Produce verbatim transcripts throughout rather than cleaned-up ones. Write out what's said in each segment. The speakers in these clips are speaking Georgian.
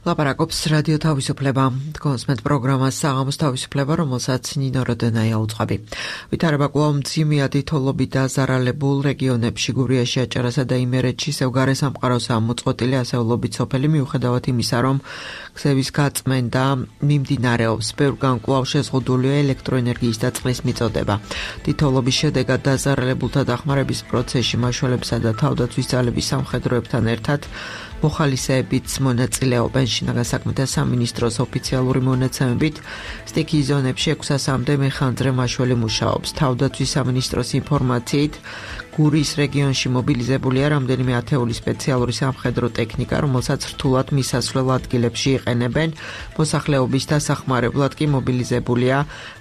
ლაპარაკობს რადიო თავისუფლება. კონსმეთ პროგრამას საღამოს თავისუფლება, რომელსაც ნინო როდენაია უძღვები. ვითარება კვლავ მძიმე თითოლობით დაზარალებულ რეგიონებში გურიაში, აჭარასა და იმერეთში სევგარე სამყაროსაა მოწყვეტილი ასეულობით სოფელი, მიუხედავად იმისა, რომ გზების გაწმენდა მიმდინარეობს. ბევრგან კვლავ შეზღუდულია ელექტროენერგიის და წყლის მიწოდება. თითოლობის შედეგად დაზარალებულთა დახმარების პროცესში მაშველებსა და თავდაცვის ძალების სამხედროებთან ერთად მოხალისეებიც მონაწილეობენ. შინაგან საქმეთა სამინისტროს ოფიციალური მონაცემებით სტიქიის ზონებში ექვსასამდე მეხანძრე მაშველი მუშაობს. თავდაცვის სამინისტროს ინფორმაციით გურიის რეგიონში მობილიზებულია რამდენიმე ათეული სპეციალური სამხედრო ტექნიკა, რომელსაც რთულად მისასვლელ ადგილებში იყენებენ. მოსახლეობის დასახმარებლად კი მობილიზებულია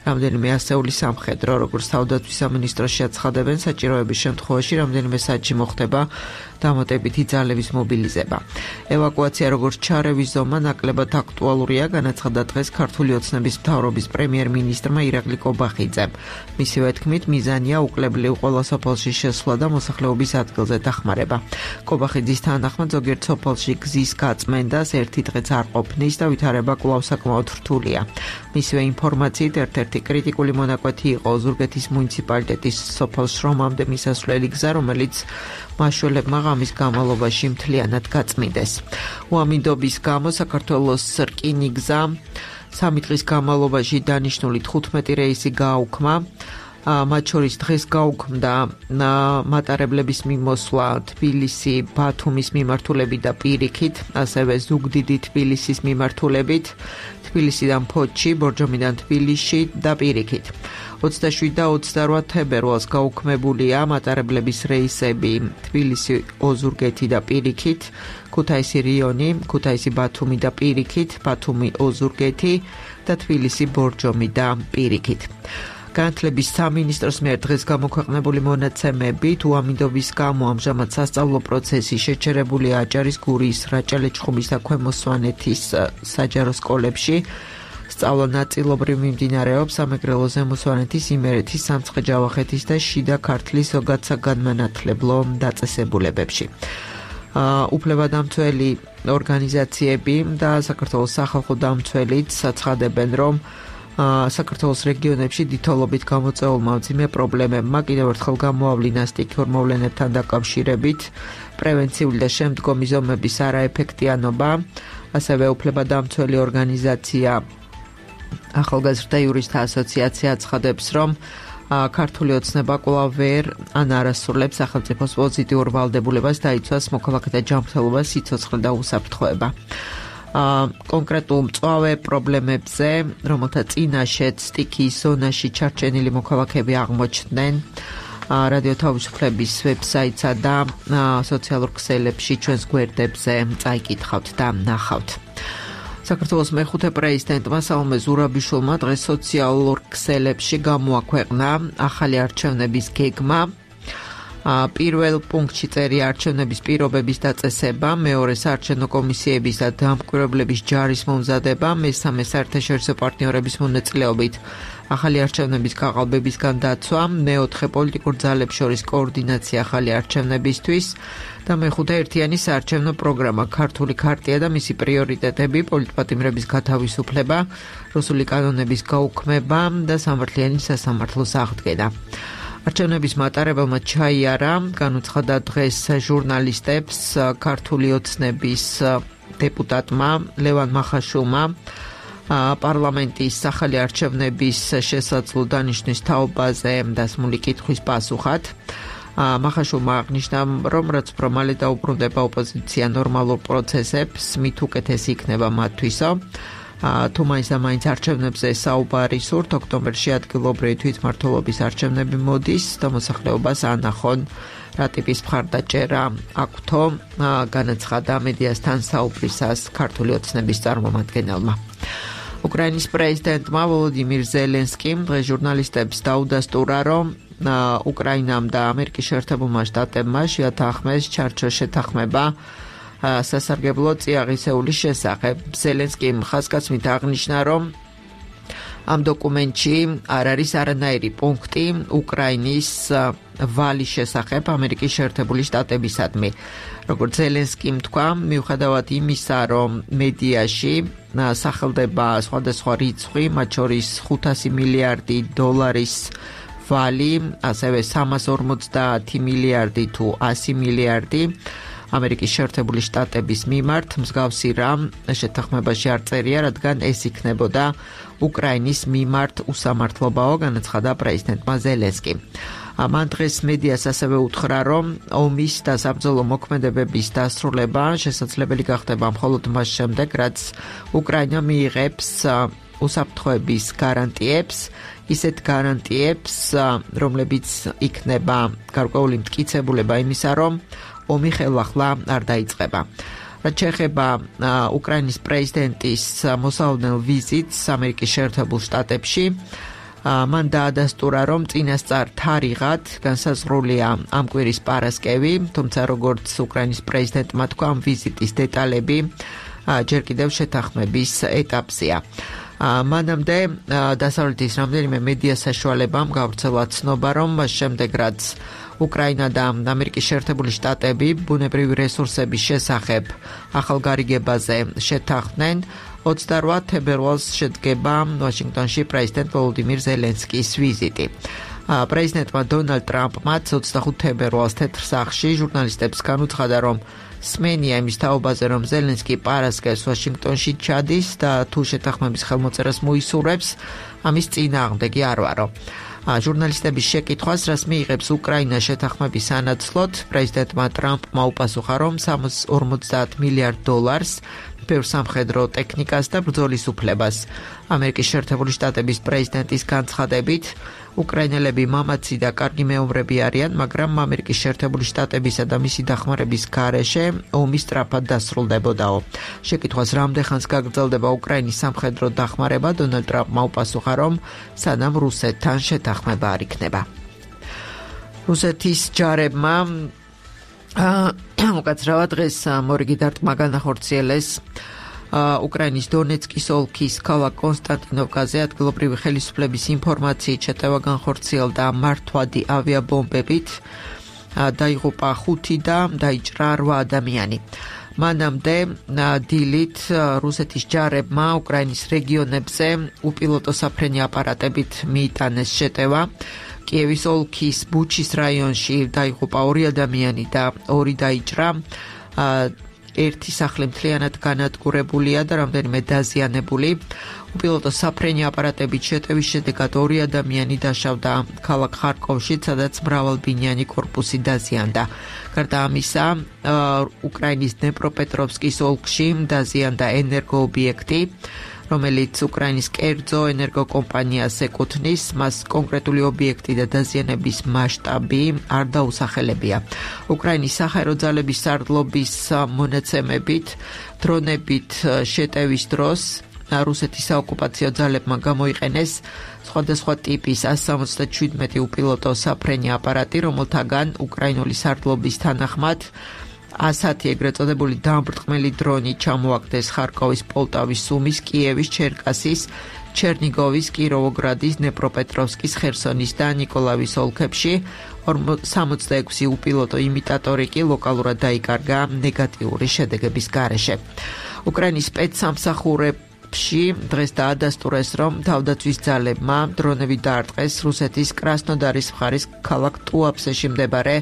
რამდენიმე ასეული სამხედრო, როგორც თავდაცვის სამინისტროში აცხადებენ, საჭიროების შემთხვევაში რამდენიმე საათში მოხდება დამატებითი ძალების მობილიზება. ევაკუაცია როგორც ჩარევის ზომა ნაკლებად აქტუალურია, განაცხადა დღეს ქართული ოცნების მთავრობის პრემიერ-მინისტრმა ირაკლი კობახიძემ. მისივე თქმით, მიზანია უკლებლივ ყველა სოფელში შესვლა და მოსახლეობის ადგილზე დახმარება. კობახიძის თანახმად ზოგიერთ სოფელში გზის გაწმენდას ერთი დღეც არ ყოფნის და ვითარება კვლავ საკმაოდ რთულია. მისივე ინფორმაციით ერთ-ერთი კრიტიკული მონაკვეთი იყო ოზურგეთის მუნიციპალიტეტის სოფელ შრომამდე მისასვლელი გზა, რომელიც მაშველებმა ღამის განმავლობაში მთლიანად გაწმიდეს. უამინდობის გამო საქართველოს რკინიგზა სამი დღის განმავლობაში დანიშნული თხუთმეტი რეისი გააუქმა. მათ შორის დღეს გაუქმდა მატარებლების მიმოსვლა თბილისი, ბათუმის მიმართულებით და პირიქით, ასევე ზუგდიდი თბილისის მიმართულებით, თბილისიდან ფოთში, ბორჯომიდან თბილისში და პირიქით. ოცდაშვიდი და ოცდარვა თებერვალს გაუქმებულია მატარებლების რეისები თბილისი, ოზურგეთი და პირიქით, ქუთაისი რიონი, ქუთაისი ბათუმი და პირიქით, ბათუმი ოზურგეთი და თბილისი ბორჯომი და პირიქით. განათლების სამინისტროს მიერ დღეს გამოქვეყნებული მონაცემებით უამინდობის გამო ამჟამად სასწავლო პროცესი შეჩერებულია აჭარის, გურიის, რაჭა-ლეჩხუმის და ქვემო სვანეთის საჯარო სკოლებში. სწავლა ნაწილობრივ მიმდინარეობს სამეგრელო, ზემო სვანეთის, იმერეთის, სამცხე-ჯავახეთის და შიდა ქართლის ზოგად საგანმანათლებლო დაწესებულებებში. უფლებადამცველი ორგანიზაციები და საქართველოს სახალხო დამცველიც აცხადებენ, რომ საქართველოს რეგიონებში თითოლობით გამოწვეულმა მძიმე პრობლემებმა კიდევ ერთხელ გამოავლინა სტიქიურ მოვლენებთან დაკავშირებით პრევენციული და შემდგომი ზომების არაეფექტიანობა. ასევე უფლებადამცველი ორგანიზაცია ახალგაზრდა იურისტთა ასოციაცია აცხადებს, რომ ქართული ოცნება კვლავ ვერ ან არასრულებს სახელმწიფოს პოზიტიურ ვალდებულებას დაიცვას მოქალაქეთა ჯანმრთელობა, სიცოცხლე და უსაფრთხოება. კონკრეტულ მწვავე პრობლემებზე, რომელთა წინაშეც სტიქიის ზონაში ჩარჩენილი მოქალაქეები აღმოჩნდნენ, რადიო თავისუფლების ვებსაიტსა და სოციალურ ქსელებში ჩვენს გვერდებზე წაიკითხავთ და ნახავთ. საქართველოს მეხუთე პრეზიდენტმა სალომე ზურაბიშვილმა დღეს სოციალურ ქსელებში გამოაქვეყნა ახალი არჩევნების გეგმა. პირველ პუნქტში წერია არჩევნების პირობების დაწესება, მეორე საარჩევნო კომისიების და დამკვირვებლების ჯარის მომზადება, მესამე საერთაშორისო პარტნიორების მონაწილეობით ახალი არჩევნების გაყალბებისგან დაცვა, მეოთხე პოლიტიკურ ძალებს შორის კოორდინაცია ახალი არჩევნებისთვის და მეხუთე ერთიანი საარჩევნო პროგრამა, ქართული ქარტია და მისი პრიორიტეტები, პოლიტპატიმრების გათავისუფლება, რუსული კანონების გაუქმება და სამართლიანი სასამართლოს აღდგენა. არჩევნების მატარებელმა ჩაიარა, განუცხადა დღეს ჟურნალისტებს ქართული ოცნების დეპუტატმა ლევან მახაშვილმა პარლამენტის ახალი არჩევნების შესაძლო დანიშნვის თაობაზე დასმული კითხვის პასუხად. მახაშვილმა აღნიშნა, რომ რაც უფრო მალე დაუბრუნდება ოპოზიცია ნორმალურ პროცესებს, მით უკეთესი იქნება მათთვისო. თუ მაინც და მაინც არჩევნებზე საუბარი სურთ, ოქტომბერში ადგილობრივი თვითმმართველობის არჩევნები მოდის და მოსახლეობას ანახონ რა ტიპის მხარდაჭერა აქვთო, განაცხადა მედიასთან საუბრისას ქართული ოცნების წარმომადგენელმა. უკრაინის პრეზიდენტმა ვოლოდიმირ ზელენსკიმ დღეს ჟურნალისტებს დაუდასტურა, რომ უკრაინამ და ამერიკის შეერთებულმა შტატებმა შეათანხმეს ჩარჩოს შეთანხმება სასარგებლო წიაღისეულის შესახებ. ზელენსკიმ ხაზგასმით აღნიშნა, რომ ამ დოკუმენტში არ არის არანაირი პუნქტი უკრაინის ვალის შესახებ ამერიკის შეერთებული შტატებისადმი. როგორც ზელენსკიმ თქვა, მიუხედავად იმისა, რომ მედიაში სახელდება სხვადასხვა რიცხვი, მათ შორის ხუთასი მილიარდი დოლარის ვალი, ასევე სამას ორმოცდაათი მილიარდი თუ ასი მილიარდი ამერიკის შეერთებული შტატების მიმართ მსგავსი რამ შეთანხმებაში არ წერია, რადგან ეს იქნებოდა უკრაინის მიმართ უსამართლობაო, განაცხადა პრეზიდენტმა ზელენსკიმ. მან დღეს მედიას ასევე უთხრა, რომ ომის და საბრძოლო მოქმედებების დასრულება შესაძლებელი გახდება მხოლოდ მას შემდეგ, რაც უკრაინა მიიღებს უსაფრთხოების გარანტიებს, ისეთ გარანტიებს, რომლებიც იქნება გარკვეული მტკიცებულება იმისა, რომ ომი ხელახლა არ დაიწყება. რაც შეეხება უკრაინის პრეზიდენტის მოსავალ ვიზიტს ამერიკის შეერთებულ შტატებში, მან დაადასტურა, რომ წინასწარ თარიღად განსაზღვრულია ამ კვირის პარასკევი, თუმცა როგორც უკრაინის პრეზიდენტმა თქვა, ამ ვიზიტის დეტალები ჯერ კიდევ შეთანხმების ეტაპზეა. მანამდე დასავლეთის რამდენიმე მედია საშუალებამ გავრცელა ცნობა, რომ მას შემდეგ, რაც უკრაინა და ამერიკის შეერთებული შტატები ბუნებრივი რესურსების შესახებ ახალ გარიგებაზე შეთანხმდნენ, ოცდარვე თებერვალს შედგება ვაშინგტონში პრეზიდენტ ვოლოდიმირ ზელენსკის ვიზიტი. პრეზიდენტმა დონალდ ტრამპმაც ოცდახუთი თებერვალს თეთრ სახლში ჟურნალისტებს განუცხადა, რომ სმენია იმის თაობაზე, რომ ზელენსკი პარასკევს ვაშინგტონში ჩადის და თუ შეთანხმების ხელმოწერას მოისურვებს, ამის წინააღმდეგი არ ვარო. ჟურნალისტების შეკითხვას, რას მიიღებს უკრაინა შეთანხმების სანაცვლოდ, პრეზიდენტმა ტრამპმა უპასუხა, რომ სამას ორმოცდაათ მილიარდ დოლარს ბევრ სამხედრო ტექნიკას და ბრძოლის უფლებას. ამერიკის შეერთებული შტატების პრეზიდენტის განცხადებით, უკრაინელები მამაცი და კარგი მეომრები არიან, მაგრამ ამერიკის შეერთებული შტატებისა და მისი დახმარების გარეშე ომი სწრაფად დასრულდებოდაო. შეკითხვას, რამდენ ხანს გაგრძელდება უკრაინის სამხედრო დახმარება, დონალდ ტრამპმა უპასუხა, რომ სანამ რუსეთთან შეთანხმება არ იქნება. რუსეთის ჯარებმა უკაცრავად დღეს მორიგი დარტყმა განახორციელეს უკრაინის დონეცკის ოლქის ქალაქ კონსტანტინოვკაზე ადგილობრივი ხელისუფლების ინფორმაციით შეტევა განხორციელდა მართვადი ავიაბომბებით, დაიღუპა ხუთი და დაიჭრა რვა ადამიანი. მანამდე დილით რუსეთის ჯარებმა უკრაინის რეგიონებზე უპილოტო საფრენი აპარატებით მიიტანეს შეტევა. კიევის ოლქის ბუჩის რაიონში დაიღუპა ორი ადამიანი და ორი დაიჭრა. ერთი სახლი მთლიანად განადგურებულია და რამდენიმე დაზიანებული. უპილოტო საფრენი აპარატებით შეტევის შედეგად ორი ადამიანი დაშავდა ქალაქ ხარკოვში, სადაც მრავალბინიანი კორპუსი დაზიანდა. გარდა ამისა, უკრაინის დნეპროპეტროვსკის ოლქში დაზიანდა ენერგოობიექტი, რომელიც უკრაინის კერძო ენერგოკომპანიას ეკუთვნის, მას კონკრეტული ობიექტი და დაზიანების მასშტაბი არ დაუსახელებია. უკრაინის საჰაერო ძალების სარდლობის მონაცემებით, დრონებით შეტევის დროს რუსეთის საოკუპაციო ძალებმა გამოიყენეს სხვადასხვა ტიპის ას სამოცდაშვიდმეტი უპილოტო საფრენი აპარატი, რომელთაგან უკრაინული სარდლობის თანახმად ასათი ეგრეთ წოდებული დამბრტყმელი დრონი ჩამოაგდეს ხარკოვის, პოლტავის, სუმის, კიევის, ჩერკასის, ჩერნიგოვის, კიროვოგრადის, დნეპროპეტროვსკის, ხერსონის და ნიკოლაევის ოლქებში. სამოცდაექვსი უპილოტო იმიტატორი კი ლოკალურად დაიკარგა ნეგატიური შედეგების გარეშე. უკრაინის სპეცსამსახურებში დღეს დაადასტურეს, რომ თავდაცვის ძალებმა დრონები დაარტყეს რუსეთის კრასნოდარის მხარის ქალაქ ტუაფსეში მდებარე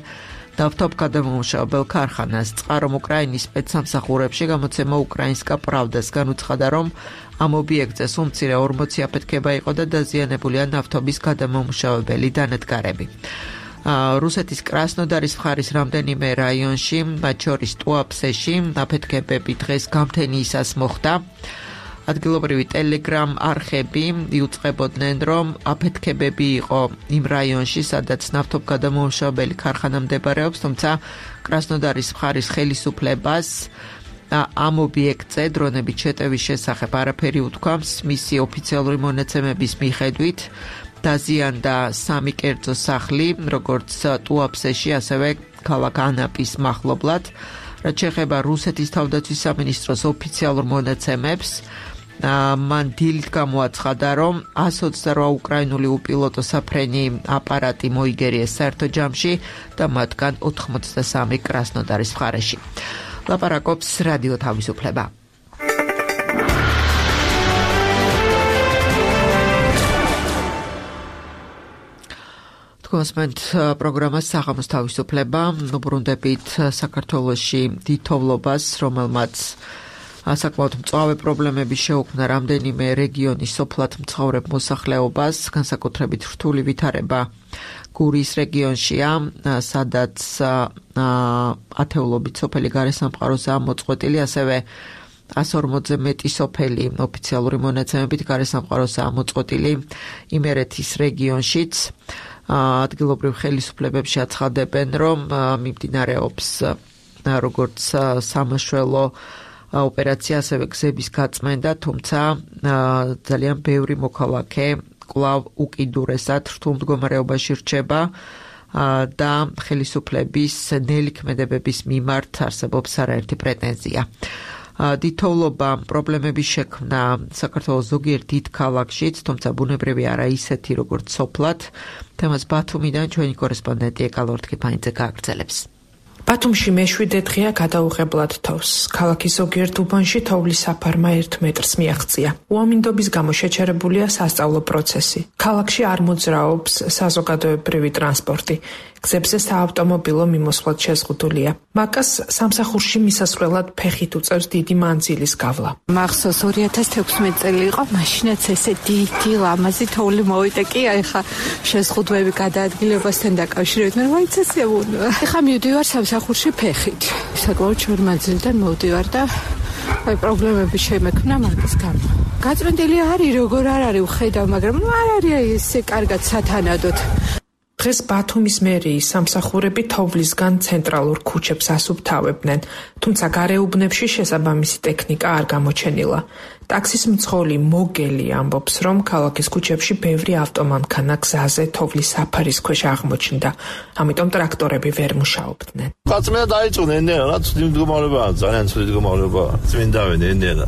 დავთობგადამამუშავებელ ქარხანას. წყარომ უკრაინის სპეცსამსახურებში გამოცემა უკრაინსკა პრავდას განუცხადა, რომ ამ ობიექტზე სულ მცირე ორმოცი აფეთქება იყო და დაზიანებულია ნავთობის გადამამუშავებელი დანადგარები. რუსეთის კრასნოდარის მხარის რამდენიმე რაიონში, მათ შორის ტუაფსეში, აფეთქებები დღეს გამთენიისას მოხდა. ადგილობრივი ტელეგრამ არხები იუწყებოდნენ, რომ აფეთქებები იყო იმ რაიონში, სადაც ნავთობგადამამუშავებელი ქარხანა მდებარეობს, თუმცა კრასნოდარის მხარის ხელისუფლებას ამ ობიექტზე დრონებით შეტევის შესახებ არაფერი უთქვამს. მისი ოფიციალური მონაცემების მიხედვით დაზიანდა სამი კერძო სახლი, როგორც ტუაფსეში, ასევე ქალაქ ანაპის მახლობლად. რაც შეეხება რუსეთის თავდაცვის სამინისტროს ოფიციალურ მონაცემებს, მან დილით გამოაცხადა, რომ εκατს ოცდაოთხ უკრაინული უპილოტო საფრენი აპარატი მოიგერიეს საერთო ჯამში და მათგან ოთხმოცდასამი კრასნოდარის მხარეში. ლაპარაკობს რადიო თავისუფლება. კონსმენტ პროგრამას საღამოს თავისუფლება უბრუნდებით საქართველოში დიდთოვლობას, რომელმაც საკმაოდ მწვავე პრობლემები შეუქმნა რამდენიმე რეგიონის სოფლად მცხოვრებ მოსახლეობას, განსაკუთრებით რთული ვითარება გურიის რეგიონშია, სადაც ათეულობით სოფელი გარესამყაროსაა მოწყვეტილი, ასევე εκατს ორმოცზე მეტი სოფელი ოფიციალური მონაცემებით გარესამყაროსაა მოწყვეტილი იმერეთის რეგიონშიც. ადგილობრივ ხელისუფლებებში აცხადებენ, რომ მიმდინარეობს როგორც სამაშველო ოპერაცია, ასევე გზების გაწმენდა, თუმცა ძალიან ბევრი მოქალაქე კვლავ უკიდურესად რთულ მდგომარეობაში რჩება და ხელისუფლების ნელი ქმედებების მიმართ არსებობს არაერთი პრეტენზია. დიდთოვლობა პრობლემების შექმნა საქართველოს ზოგიერთ დიდ ქალაქშიც, თუმცა ბუნებრივი არა ისეთი, როგორც სოფლად. თემას ბათუმიდან ჩვენი კორესპონდენტი ეკალორ თქიფანიძე გააგრძელებს. ბათუმში მეშვიდე დღეა გადაუღებლად თოვს. ქალაქის ზოგიერთ უბანში თოვლის საფარმა ერთ მეტრს მიაღწია. უამინდობის გამო შეჩერებულია სასწავლო პროცესი. ქალაქში არ მოძრაობს საზოგადოებრივი ტრანსპორტი. გზებზე საავტომობილო მიმოსვლად შეზღუდულია. მაკას სამსახურში მისასვლელად ფეხით უწევს დიდი მანძილის გავლა. მახსოვს ორი ათას თექვსმეტი წელი იყო, მაშინაც ესე დიდი ლამაზი თოვლი მოვიდა კი, ეხა შეზღუდვები გადაადგილებასთან დაკავშირებით, მე ვაიცასია ვუნდა. ეხა მივდივარ სამსახურში ფეხით. საკმაოდ შორ მანძილიდან მოვდივარ და აი პრობლემები შემექმნა მაგის გამო. გაწმენდილი არის, როგორ არ არის ვხედავ, მაგრამ ნუ არ არის აი ესე კარგად სათანადოდ. დღეს ბათუმის მერიის სამსახურები თოვლისგან ცენტრალურ ქუჩებს ასუფთავებდნენ, თუმცა გარეუბნებში შესაბამისი ტექნიკა არ გამოჩენილა. ტაქსის მძღოლი მოგელი ამბობს, რომ ქალაქის ქუჩებში ბევრი ავტომანქანა გზაზე თოვლის საფარის ქვეშ აღმოჩნდა, ამიტომ ტრაქტორები ვერ მუშაობდნენ. გაწმენდა დაიწყო ენერა, რა ცუდი მდგომარეობაა, ძალიან ცუდი მდგომარეობაა. წმინდავენ ენერა.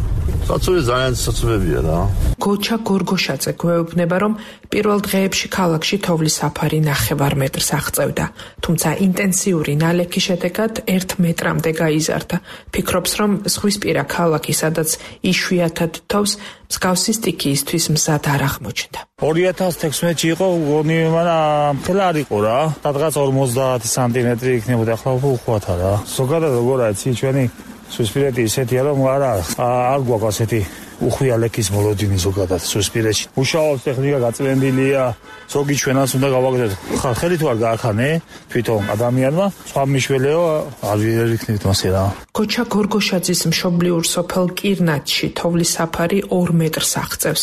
საცურე ძალიან საცურებია რა. გოჩა გორგოშაძე გვეუბნება, რომ პირველ დღეებში ქალაქში თოვლის საფარი ნახევარ მეტრს აღწევდა, თუმცა ინტენსიური ნალექის შედეგად ერთ მეტრამდე გაიზარდა. ფიქრობს, რომ ზღვისპირა ქალაქი, სადაც იშვიათად თოვს, მსგავსი სტიქიისთვის მზად არ აღმოჩნდა. ორი ათას თექვსმეტში იყო, გონი მაგრამ მთელი არ იყო რა. სადღაც ორმოცდაათი სანტიმეტრი იქნებოდა, ახლა უხვათა რა. ზოგადად როგორ არის ჩვენი ზღვისპირეთი ისეთია, რომ არა არ გვაქვს ასეთი უხვია ლექის მოლოდინი ზოგადად ზღვისპირეთში. მუშაობს ტექნიკა გაწმენდილია, ზოგი ჩვენას უნდა გავაკეთოთ. ხა ხელი თუ არ გაახანე თვითონ ადამიანმა, სხვა მიშველეო არ ვიქნებით მასე რა. გოჩა გორგოშაძის მშობლიურ სოფელ კირნატში თოვლის საფარი ორ მეტრს აღწევს.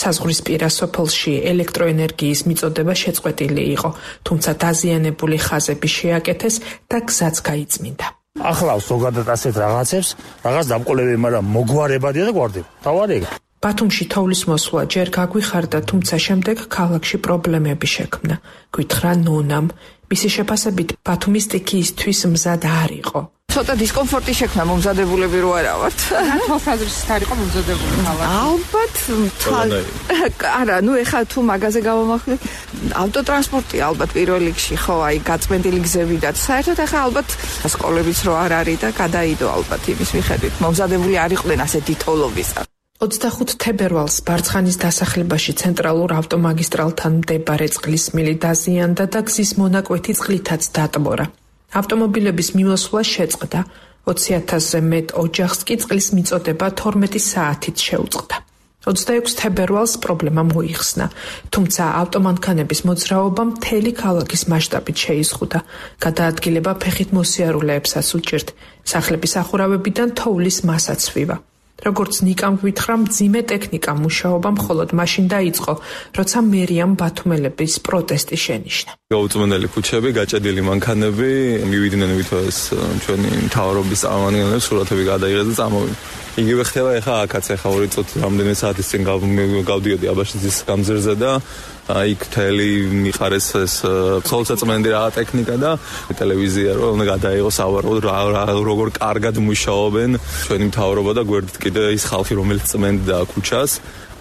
საზღვრისპირა სოფელში ელექტროენერგიის მიწოდება შეწყვეტილი იყო, თუმცა დაზიანებული ხაზები შეაკეთეს და გზაც გაიწმინდა. ახლავს ზოგადად ასეთ რაღაცებს, რაღაც დამყოლები, მაგრამ მოგვარებადია და გვარდება. თავარია. ბათუმში თოვლის მოსვლა ჯერ გაგვიხარდა, თუმცა შემდეგ ქალაქში პრობლემები შექმნა. გითხრა ნონამ, მისი შეფასებით ბათუმის სტიქიისთვის მზად არ იყო. ცოტა დისკომფორტი შექმნა მომზადებულები რო არა ვართ. თვალსაზრისით არ იყო მომზადებული ხალხი. ალბათ არა, ნუ ეხლა თუ მაგაზე გავამახვილებ, ავტოტრანსპორტი ალბათ პირველ რიგში ხო, აი გაწმენდილი გზები და საერთოდ ეხლა ალბათ სკოლებიც რო არ არის და გადაიდო ალბათ იმის მიხედვით. მომზადებული არ იყვნენ ასეთი თოვლობისა. ოცდახუთ თებერვალს ბარცხანის დასახლებაში ცენტრალურ ავტომაგისტრალთან მდებარე წყლის მილი დაზიანდა და გზის მონაკვეთი წყლითაც დატბორა. ავტომობილების მიმოსვლა შეწყდა, ოცი ათასზე მეტ ოჯახს კი წყლის მიწოდება თორმეტი საათით შეუწყდა. ოცდაექვსი თებერვალს პრობლემა მოიხსნა, თუმცა ავტომანქანების მოძრაობა მთელი ქალაქის მასშტაბით შეიზღუდა. გადაადგილება ფეხით მოსიარულეებსაც უჭირთ, სახლების ახურავებიდან თოვლის მასაც ვივა. როგორც ნიკამ გვითხრა, მძიმე ტექნიკა მუშაობა მხოლოდ მაშინ დაიწყო, როცა მერიამ ბათუმელების პროტესტი შენიშნა. გაუწმენელი ქუჩები, გაჭედილი მანქანები, მივიდნენ ვითოს ჩვენი მთავრობის წარმომადგენლებს, სურათები გადაიღეს და წამოვიდნენ. იგივე ხდება ეხა აქაც, ეხა ორი წუთი რამდენი საათის წინ გავდიოდი აბაშიძის გამზირზე და იქ მთელი მიხარეს ეს ცოლსაწმენდი რა ტექნიკა და ტელევიზია რომ უნდა გადაიღოს ავარყოდ როგორ კარგად მუშაობენ ჩვენი მთავრობა და გვერდით კიდე ის ხალხი რომელიც წმენდა ქუჩას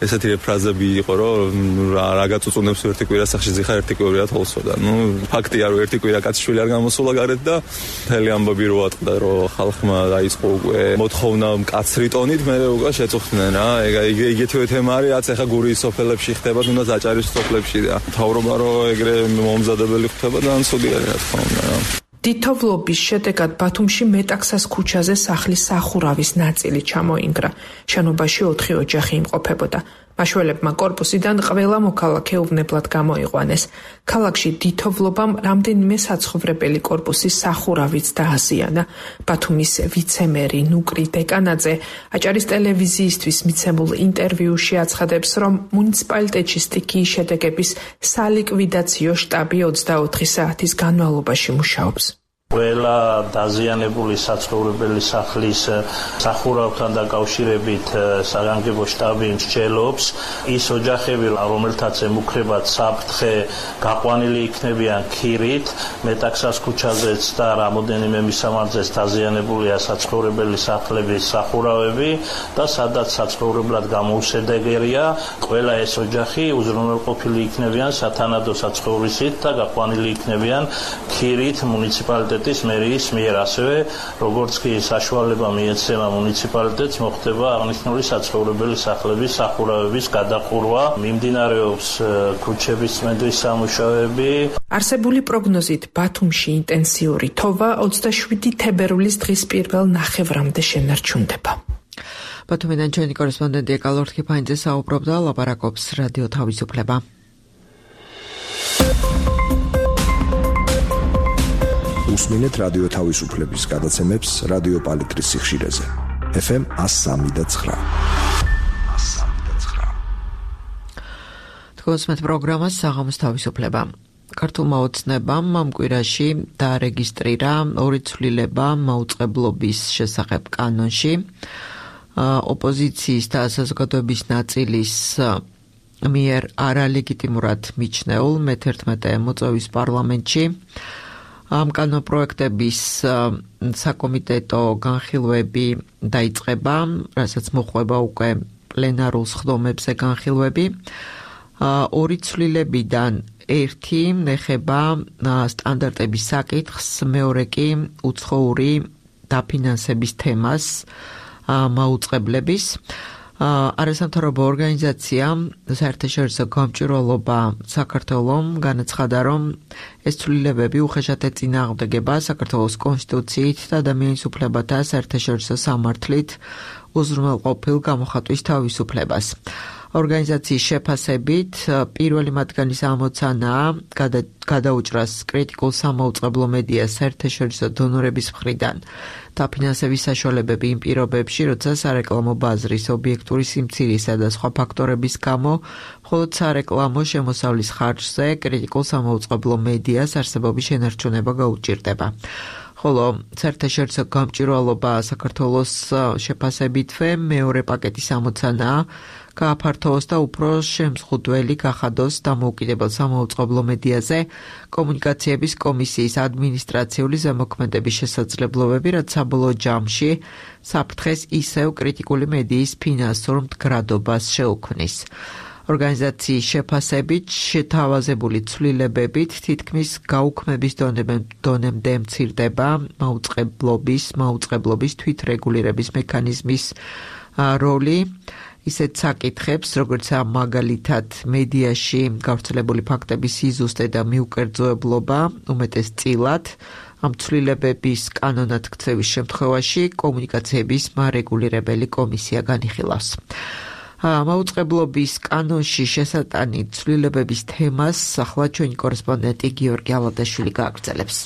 ესეთი ფრაზები იყო რომ რა გაწუწუნებს ერთი კვირა სახში ზიხარ ერთი კვირა თოლსოდა. ნუ ფაქტია რომ ერთი კვირა კაცშვილი არ გამოსულა გარეთ და მთელი ამბობი რო ატყდა რომ ხალხმა დაიწყო უკვე მოთხოვნა მკაცრი ტონით მე უკვე შეწუხდნენ რა. ეგ იგეთივე თემა არის რაც ახლა გურიის სოფელებში ხდება თუნდაც აჭარის სოფლებში და თავრობა რო ეგრე მომზადებელი ხდება და ცუდი არის რა თქმა უნდა რა. დითოვლობის შედეგად ბათუმში მეტაქსას ქუჩაზე სახლის სახურავის ნაწილი ჩამოინგრა. შენობაში ოთხი ოჯახი იმყოფებოდა. მაშველებმა კორპუსიდან ყველა მოქალაქე უვნებლად გამოიყვანეს. ქალაქში დითოვლობამ რამდენიმე საცხოვრებელი კორპუსის სახურავიც დააზიანა. ბათუმის ვიცემერი ნუკრი დეკანაძე აჭარის ტელევიზიისთვის მიცემულ ინტერვიუში აცხადებს, რომ მუნიციპალიტეტში სტიქიის შედეგების სალიკვიდაციო შტაბი ოცდაოთხი საათის განმავლობაში მუშაობს. ყველა დაზიანებული საცხოვრებელი სახლის სახურავთან დაკავშირებით საგანგებო შტაბი მსჯელობს ის ოჯახები რომელთაც ემუქრებათ საფრთხე გაყვანილი იქნებიან ქირით მეტაქსას ქუჩაზეც და რამოდენიმე მისამართზეც დაზიანებულია საცხოვრებელი სახლების სახურავები და სადაც საცხოვრებლად გამოუსადეგია ყველა ეს ოჯახი უზრუნველყოფილი იქნებიან სათანადო საცხოვრისით და გაყვანილი იქნებიან ქირით მუნიციპალიტეტ ის მერიის მიერ ასევე როგორც კი საშუალება მიეცემა მუნიციპალიტეტს მოხდება აღნიშნული საცხოვრებელი სახლების სახურავების გადახურვა მიმდინარეობს ქუჩების წმენდის სამუშაოები არსებული პროგნოზით ბათუმში ინტენსიური თოვა ოცდაშვიდი თებერვლის დღის პირველ ნახევრამდე შენარჩუნდება. ბათუმიდან ჩვენი კორესპონდენტი ეკალორ თქიფანიძე საუბრობდა, ლაპარაკობს რადიო თავისუფლება. უსმინეთ რადიო თავისუფლების გადაცემებს რადიო პალიტრის სიხშირეზე ეფ ემ one oh three point nine. თქვენს პროგრამა საღამოს თავისუფლება. ქართულმა ოცნებამ ამ კვირაში დაარეგისტრირა ორი ცვლილება მაუწყებლობის შესახებ კანონში. ოპოზიციის და საზოგადოების ნაწილის მიერ არალეგიტიმურად მიჩნეულ მეთერთმეტე მოწვევის პარლამენტში ამ კანონპროექტების საკომიტეტო განხილვები დაიწყება, რასაც მოხვება უკვე პლენარულ სხდომებზე განხილვები. ორი ცვლილებიდან ერთი ეხება სტანდარტების საკითხს, მეორე კი უცხოური დაფინანსების თემას მაუწყებლების. არასამთავრობო ორგანიზაცია საერთაშორისო გამჭვირვალობა საქართველომ განაცხადა, რომ ეს ცვლილებები უხეშად ეწინააღმდეგება საქართველოს კონსტიტუციით და ადამიანის უფლებათა საერთაშორისო სამართლით უზრუნველყოფილ გამოხატვის თავისუფლებას. ორგანიზაციის შეფასებით პირველი მათგანის ამოცანაა გადაუჭრას კრიტიკულ სამაუწყებლო მედიას საერთაშორისო დონორების მხრიდან დაფინანსების საშუალებები იმ პირობებში, როცა სარეკლამო ბაზრის ობიექტური სიმცირისა და სხვა ფაქტორების გამო მხოლოდ სარეკლამო შემოსავლის ხარჯზე კრიტიკულ სამაუწყებლო მედიას არსებობის შენარჩუნება გაუჭირდება. ხოლო საერთაშორისო გამჭვირვალობა საქართველოს შეფასებითვე მეორე პაკეტის ამოცანაა გააფართოვოს და უფრო შემზღუდველი გახადოს დამოუკიდებელ სამაუწყებლო მედიაზე კომუნიკაციების კომისიის ადმინისტრაციული ზემოქმედების შესაძლებლობები, რაც საბოლოო ჯამში საფრთხეს ისევ კრიტიკული მედიის ფინანსურ მდგრადობას შეუქმნის. ორგანიზაციის შეფასებით შეთავაზებული ცვლილებებით თითქმის გაუქმების დონემდე მცირდება მაუწყებლობის, მაუწყებლობის თვითრეგულირების მექანიზმის როლი. ისეთ საკითხებს, როგორც მაგალითად მედიაში გავრცელებული ფაქტების სიზუსტე და მიუკერძოებლობა, უმეტესწილად ამ ცვლილებების კანონად ქცევის შემთხვევაში კომუნიკაციების მარეგულირებელი კომისია განიხილავს. მაუწყებლობის კანონში შესატანი ცვლილებების თემას ახლა ჩვენი კორესპონდენტი გიორგი ალადაშვილი გააგრძელებს.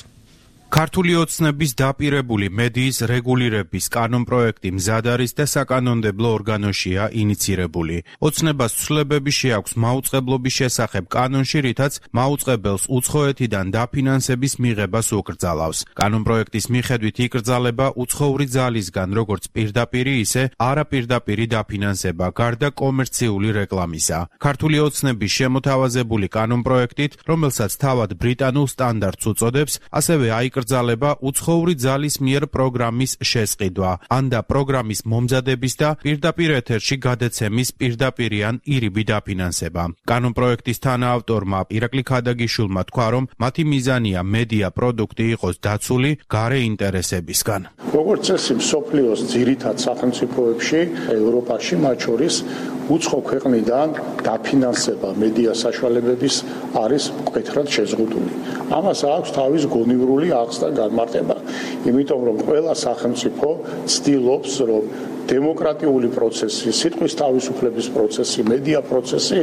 ქართული ოცნების დაპირებული მედიის რეგულირების კანონპროექტი მზად არის და საკანონმდებლო ორგანოშია ინიცირებული. ოცნებას ცვლილებები შეაქვს მაუწყებლობის შესახებ კანონში, რითაც მაუწყებელს უცხოეთიდან დაფინანსების მიღებას უკრძალავს. კანონპროექტის მიხედვით იკრძალება უცხოური ძალისგან როგორც პირდაპირი, ისე არაპირდაპირი დაფინანსება გარდა კომერციული რეკლამისა. ქართული ოცნების შემოთავაზებული კანონპროექტით, რომელსაც თავად ბრიტანულ სტანდარტს უწოდებს, ასევე აიკრძალება უცხოური ძალის მიერ პროგრამის შესყიდვა, ან და პროგრამის მომზადების და პირდაპირ ეთერში გადაცემის პირდაპირი ან ირიბი დაფინანსება. კანონპროექტის თანაავტორმა ირაკლი ქადაგიშვილმა თქვა, რომ მათი მიზანია მედია პროდუქტი იყოს დაცული გარე ინტერესებისგან. როგორც წესი, მსოფლიოს ძირითად სახელმწიფოებში, ევროპაში, მათ შორის უცხო ქვეყნიდან დაფინანსება მედია საშუალებების არის მკვეთრად შეზღუდული. ამას აქვს თავის გონივრული აღზრდა და განმარტება, იმიტომ რომ ყველა სახელმწიფო ცდილობს, რომ დემოკრატიული პროცესი, სიტყვის თავისუფლების პროცესი, მედია პროცესი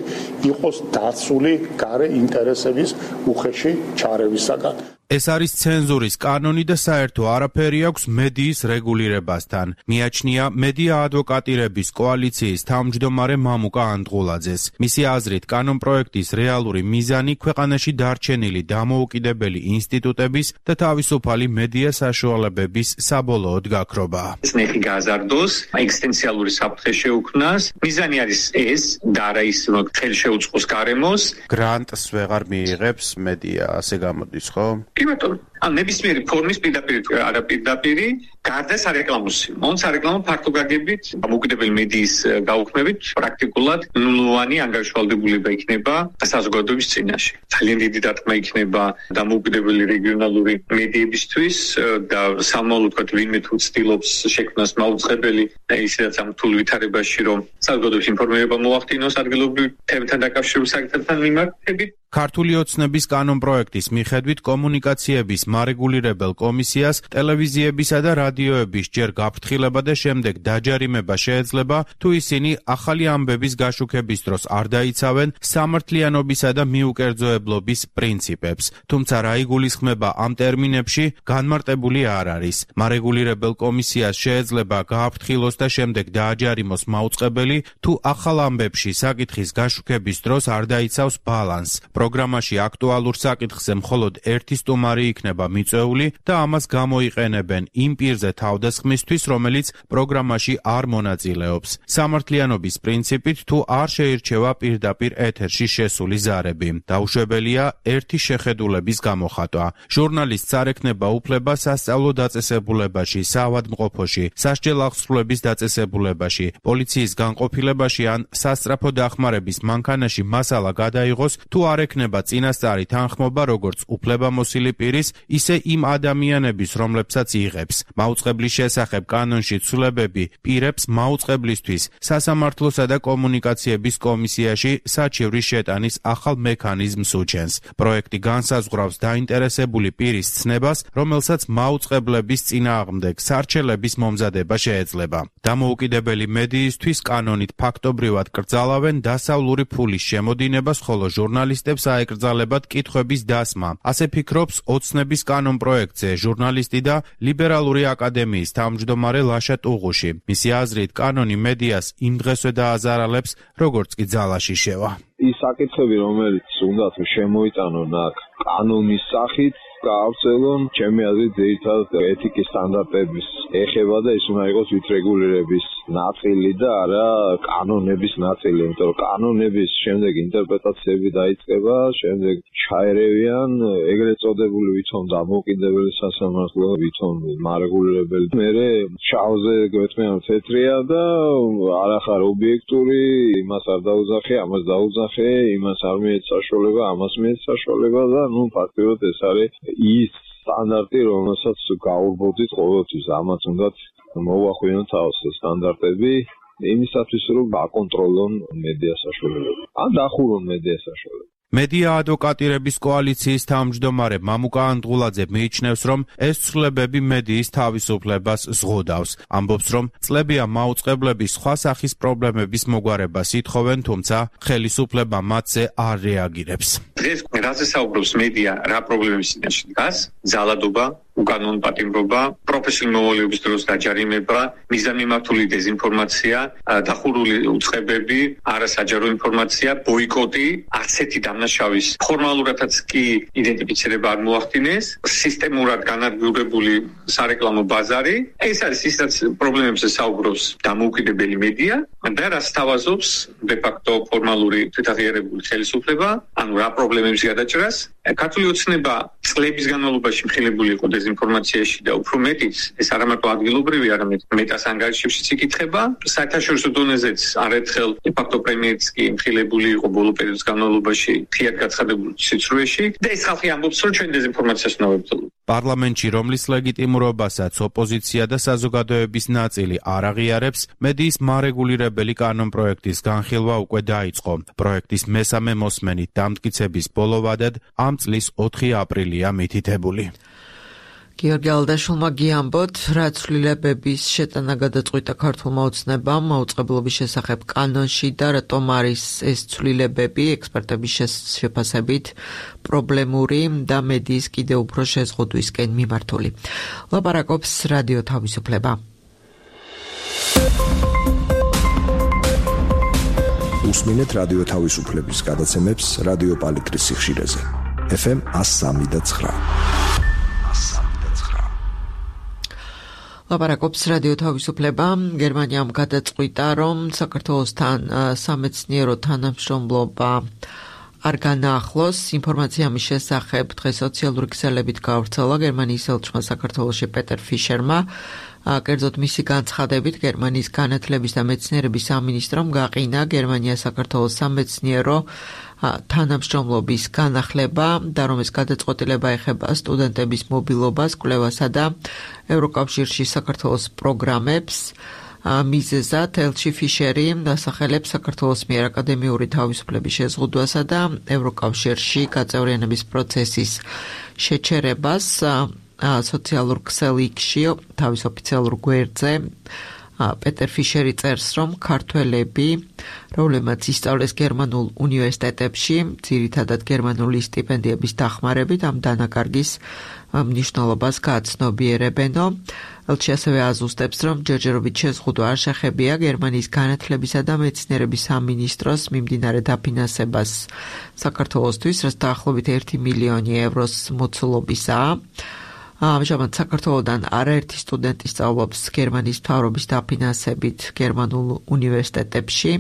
იყოს დაცული გარე ინტერესების უხეში ჩარევისაგან. ეს არის ცენზურის კანონი და საერთო არაფერი აქვს მედიის რეგულირებასთან. მიაჩნია მედია ადვოკატირების კოალიციის თავმჯდომარე მამუკა ანდღულაძეს. მისი აზრით, კანონპროექტის რეალური მიზანი ქვეყანაში დარჩენილი დამოუკიდებელი ინსტიტუტების და თავისუფალი მედია საშუალებების საბოლოოდ გაქრობაა. წნეხი გაზარდოს, ეგზისტენციალური საფრთხე შეუქმნას. მიზანი არის ეს და არა ის, რომ ხელი შეუწყოს გარემოს. გრანტს ვეღარ მიიღებს მედია, ასე გამოდის, ხო? იმიტომ ან ნებისმიერი ფორმის პირდაპირ არაპირდაპირი გარდა სარეკლამოსი. მონ სარეკლამო ფართო გაგებით დამოუკიდებელი მედიის გაუქმებით პრაქტიკულად ნულოვანი ანგარიშვალდებულება იქნება საზოგადოების წინაშე. ძალიან დიდი დარტყმა იქნება დამოუკიდებელი რეგიონალური მედიებისთვის და სამომავლოდ თქვა ვინმე თუ ცდილობს შექმნას მაუწყებელი ისედაც ამ რთულ ვითარებაში, რომ საზოგადოების ინფორმირება მოახდინოს ადგილობრივ თემებთან დაკავშირებულ საკითხებთან მიმართებით. ქართული ოცნების კანონპროექტის მიხედვით კომუნიკაციების მარეგულირებელ კომისიას ტელევიზიებისა და რადიოების ჯერ გაფრთხილება და შემდეგ დაჯარიმება შეეძლება, თუ ისინი ახალი ამბების გაშუქების დროს არ დაიცავენ სამართლიანობისა და მიუკერძოებლობის პრინციპებს. თუმცა რა იგულისხმება ამ ტერმინებში, განმარტებული არ არის. მარეგულირებელ კომისიას შეეძლება გააფრთხილოს და შემდეგ დააჯარიმოს მაუწყებელი, თუ ახალ ამბებში საკითხის გაშუქების დროს არ დაიცავს ბალანსს. პროგრამაში აქტუალურ საკითხზე მხოლოდ ერთი სტუმარი იქნება მიწვეული და ამას გამოიყენებენ იმ პირზე თავდასხმისთვის, რომელიც პროგრამაში არ მონაწილეობს. სამართლიანობის პრინციპით თუ არ შეირჩევა პირდაპირ ეთერში შესული ზარები. დაუშვებელია ერთი შეხედულების გამოხატვა. ჟურნალისტს არ ექნება უფლება სასწავლო დაწესებულებაში, საავადმყოფოში, სასჯელ აღსრულების დაწესებულებაში, პოლიციის განყოფილებაში ან სასწრაფო დახმარების მანქანაში მასალა გადაიღოს, თუ არ ექნება წინასწარი თანხმობა როგორც უფლებამოსილი პირის, ისე იმ ადამიანების, რომლებსაც იღებს. მაუწყებლის შესახებ კანონში ცვლილებები პირებს მაუწყებლისთვის სასამართლოსა და კომუნიკაციების კომისიაში საჩივრის შეტანის ახალ მექანიზმს უჩენს. პროექტი განსაზღვრავს დაინტერესებული პირის ცნებას, რომელსაც მაუწყებლების წინააღმდეგ სარჩელების მომზადება შეეძლება. დამოუკიდებელი მედიისთვის კანონით ფაქტობრივად კრძალავენ დასავლური ფულის შემოდინებას, ხოლო ჟურნალისტებს აეკრძალებათ კითხვების დასმა. ასე ფიქრობს ოცნების კანონპროექტზე ჟურნალისტი და ლიბერალური აკადემიის თავმჯდომარე ლაშა ტუღუში. მისი აზრით, კანონი მედიას იმ დღესვე დააზარალებს, როგორც კი ძალაში შევა. ის საკითხები, რომელიც უნდა შემოიტანონ აქ კანონის სახით, გაავრცელონ, ჩემი აზრით, ძირითადად ეთიკის სტანდარტების ეხება და ის უნდა იყოს ვითრეგულირების ნაწილი და არა კანონების ნაწილი, იმიტომ რომ კანონების შემდეგ ინტერპრეტაციები დაიწყება, შემდეგ ჩაერევიან ეგრეთ წოდებული ვითომ დამოუკიდებელი სასამართლო, ვითომ მარეგულირებელი. მერე შავზე გვეთმიან თეთრია და არახარ ობიექტური, იმას არ დაუძახე, ამას დაუძახე, იმას არ მიეც საშუალება, ამას მიეც საშუალება და ნუ ფაქტობრივად ეს არის ის სტანდარტი, რომელსაც გაურბოდით ყოველთვის. ამაც უნდა მოვახვიოთ თავს სტანდარტები იმისათვის, რომ აკონტროლონ მედია საშუალებები. ან დახურონ მედია საშუალებები. მედია ადვოკატირების კოალიციის თავმჯდომარე მამუკა ანდღულაძე მიიჩნევს, რომ ეს ცვლილებები მედიის თავისუფლებას ზღუდავს. ამბობს, რომ წლებია მაუწყებლების სხვა სახის პრობლემების მოგვარებას ითხოვენ, თუმცა ხელისუფლება მათზე არ რეაგირებს. დღეს რაზე საუბრობს მედია, რა პრობლემების წინაშე დგას? ძალადობა, უკანონო პატიმრობა, პროფესიული მოვალეობის დროს დაჯარიმება, მიზანმიმართული დეზინფორმაცია, დახურული უწყებები, არასაჯარო ინფორმაცია, ბოიკოტი, ასეთი დამნაშავის ფორმალურადაც კი იდენტიფიცირება არ მოახდინეს, სისტემურად განადგურებული სარეკლამო ბაზარი. ეს არის ისაც პრობლემებზე საუბრობს დამოუკიდებელი მედია და რაც თავაზობს de facto ფორმალური თვითაღიარებული ხელისუფლება, ანუ რა პრობლემების გადაჭრას. ქართული ოცნება წლების განმავლობაში მხილებული იყო დეზინფორმაციაში და უფრო მეტიც, ეს არა მარტო ადგილობრივი, არამედ მეტას ანგარიშებშიც იკითხება. საერთაშორისო დონეზეც არაერთხელ de facto პრემიებიც კი მხილებული იყო ბოლო პერიოდის განმავლობაში მთლიანად გაცხადებულ სიცრუეში და ეს ხალხი ამბობს, რომ ჩვენ დეზინფორმაციას უნდა ვებრძოლოთ. პარლამენტში, რომლის ლეგიტიმურობასაც ოპოზიცია და საზოგადოების ნაწილი არ აღიარებს, მედიის მარეგულირებელი კანონპროექტის განხილვა უკვე დაიწყო. პროექტის მესამე მოსმენით დამტკიცების ბოლო ვადად ამ წლის ოთხი აპრილია მითითებული. გიორგი ალდაშვილმა გიამბოთ, რა ცვლილებების შეტანა გადაწყვიტა ქართულმა ოცნებამ მაუწყებლობის შესახებ კანონში და რატომ არის ეს ცვლილებები ექსპერტების შეფასებით პრობლემური და მედიის კიდევ უფრო შეზღუდვისკენ მიმართული. ლაპარაკობს რადიო თავისუფლება. უსმინეთ რადიო თავისუფლების გადაცემებს რადიო პალიტრის სიხშირეზე. ეფ ემ one oh three და nine. ლაპარაკობს რადიო თავისუფლება. გერმანიამ გადაწყვიტა, რომ საქართველოსთან სამეცნიერო თანამშრომლობა არ განაახლოს. ინფორმაცია ამის შესახებ დღეს სოციალური ქსელებით გავრცელა გერმანიის ელჩმა საქართველოში პეტერ ფიშერმა. კერძოდ მისი განცხადებით, გერმანიის განათლების და მეცნიერების სამინისტრომ გაყინა გერმანია საქართველოს სამეცნიერო თანამშრომლობის განახლება და რომ ეს გადაწყვეტილება ეხება სტუდენტების მობილობას, კვლევასა და ევროკავშირში საქართველოს პროგრამებს. მიზეზად ელჩი ფიშერი დასახელებს საქართველოს მიერ აკადემიური თავისუფლების შეზღუდვასა და ევროკავშირში გაწევრიანების პროცესის შეჩერებას. სოციალურ ქსელში თავის ოფიციალურ გვერდზე პეტერ ფიშერი წერს, რომ ქართველები, რომლებმაც ისწავლეს გერმანულ უნივერსიტეტებში, ძირითადად გერმანული სტიპენდიების დახმარებით ამ დანაკარგის მნიშვნელობას გააცნობიერებენო. ელჩი ასევე აზუსტებს, რომ ჯერჯერობით შეზღუდვა არ შეხებია გერმანიის განათლებისა და მეცნიერების სამინისტროს მიმდინარე დაფინანსებას საქართველოსთვის, რაც დაახლოებით ერთი მილიონი ევროს მოცულობისაა. ამჟამად საქართველოდან არაერთი სტუდენტი სწავლობს გერმანიის მთავრობის დაფინანსებით გერმანულ უნივერსიტეტებში.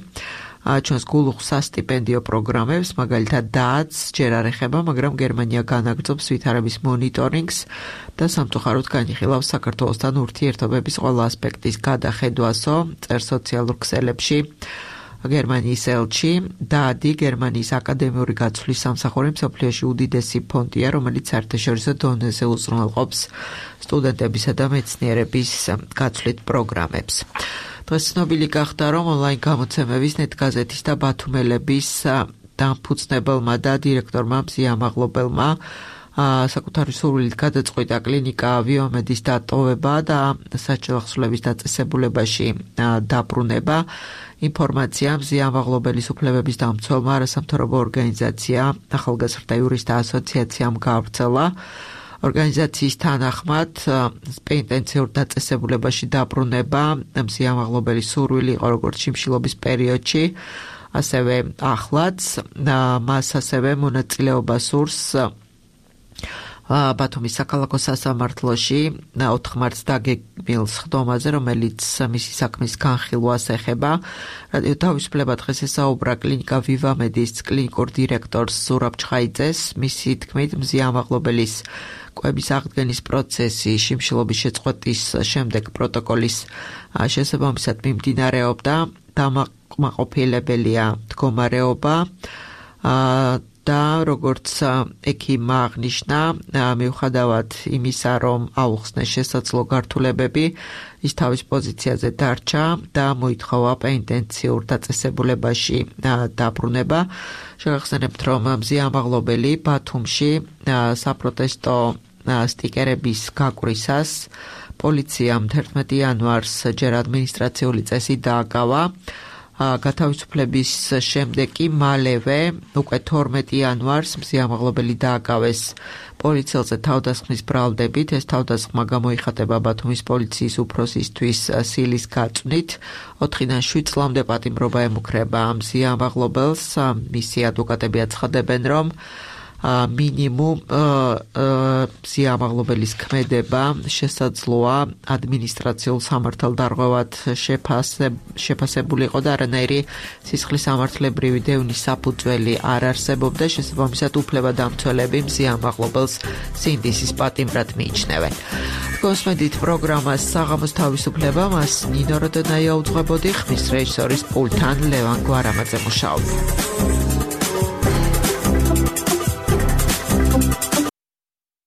ჩვენს გულუხ სასტიპენდიო პროგრამებს, მაგალითად დააც ჯერ არ ეხება, მაგრამ გერმანია განაგრძობს ვითარების მონიტორინგს და სამწუხაროდ განიხილავს საქართველოსთან ურთიერთობების ყველა ასპექტის გადახედვასო, წერს სოციალურ ქსელებში. გერმანიის ელჩი დაადი გერმანიის აკადემიური გაცვლის სამსახური მსოფლიოში უდიდესი ფონდია, რომელიც საერთაშორისო დონეზე უზრუნველყოფს სტუდენტებისა და მეცნიერების გაცვლით პროგრამებს. დღეს ცნობილი გახდა, რომ ონლაინ გამოცემების ნეტგაზეთის და ბათუმელების დამფუძნებელმა და დირექტორმა მზიამაღლობელმა საკუთარი სურვილით გადაწყვიტა კლინიკა ვიომედის დატოვება და საჭილახსვლების დაწესებულებაში დაბრუნება. ინფორმაცია მზიამაღლობელის უფლებების დამცველმა არასამთავრობო ორგანიზაცია ახალგაზრდა იურისტთა ასოციაციამ გავრცელა. ორგანიზაციის თანახმად პენტენციურ დაწესებულებაში დაბრუნება მზიამაღლობელის სურვილი იყო როგორც შიმშილობის პერიოდში, ასევე ახლაც მას ასევე მონაწილეობა სურს ბათუმის საქალაქო სასამართლოში ოთხ მარტს დაგეგმილ სხდომაზე, რომელიც მისი საქმის განხილვას ეხება. რადიო თავისუფლება დღეს ესაუბრა კლინიკა ვივამედის კლინიკურ დირექტორს ზურაბ ჩხაიძეს. მისი თქმით, მზიამაღლობელის კვების აღდგენის პროცესი შიმშილობის შეწყვეტის შემდეგ პროტოკოლის შესაბამისად მიმდინარეობდა. დამაკმაყოფილებელია მდგომარეობა და როგორც ექიმმა აღნიშნა, მიუხედავად იმისა, რომ აუხსნეს შესაძლო გართულებები, ის თავის პოზიციაზე დარჩა და მოითხოვა პენტენციურ დაწესებულებაში დაბრუნება. შევახსენებთ, რომ მზიამაღლობელი ბათუმში საპროტესტო სტიკერების გაკვრისას პოლიციამ თერთმეტი იანვარს ჯერ ადმინისტრაციული წესი დააკავა. გათავისუფლების შემდეგ კი მალევე უკვე თორმეტი იანვარს მზიამაღლობელი დააკავეს პოლიციელზე თავდასხმის ბრალდებით. ეს თავდასხმა გამოიხატება ბათუმის პოლიციის უფროსისთვის სილის გაწვნით. ოთხიდან შვიდ წლამდე პატიმრობა ემუქრება ამ სიამაღლობელს. მისი ადვოკატები აცხადებენ, რომ მინიმუმ სიამაღლობელის ქმედება შესაძლოა ადმინისტრაციულ სამართალდარღვევად შეფასებული იყო და არანაირი სისხლის სამართლებრივი დევნის საფუძველი არ არსებობდა. შესაბამისად უფლებადამცველები სიამაღლობელს სინდისის პატიმრად მიიჩნევენ. გოსმედით პროგრამას საღამოს თავისუფლება, მას ნინო როდენაია უძღვებოდი, ხმის რეჟისორის პულტთან ლევან გვარამაძე მუშაობდა.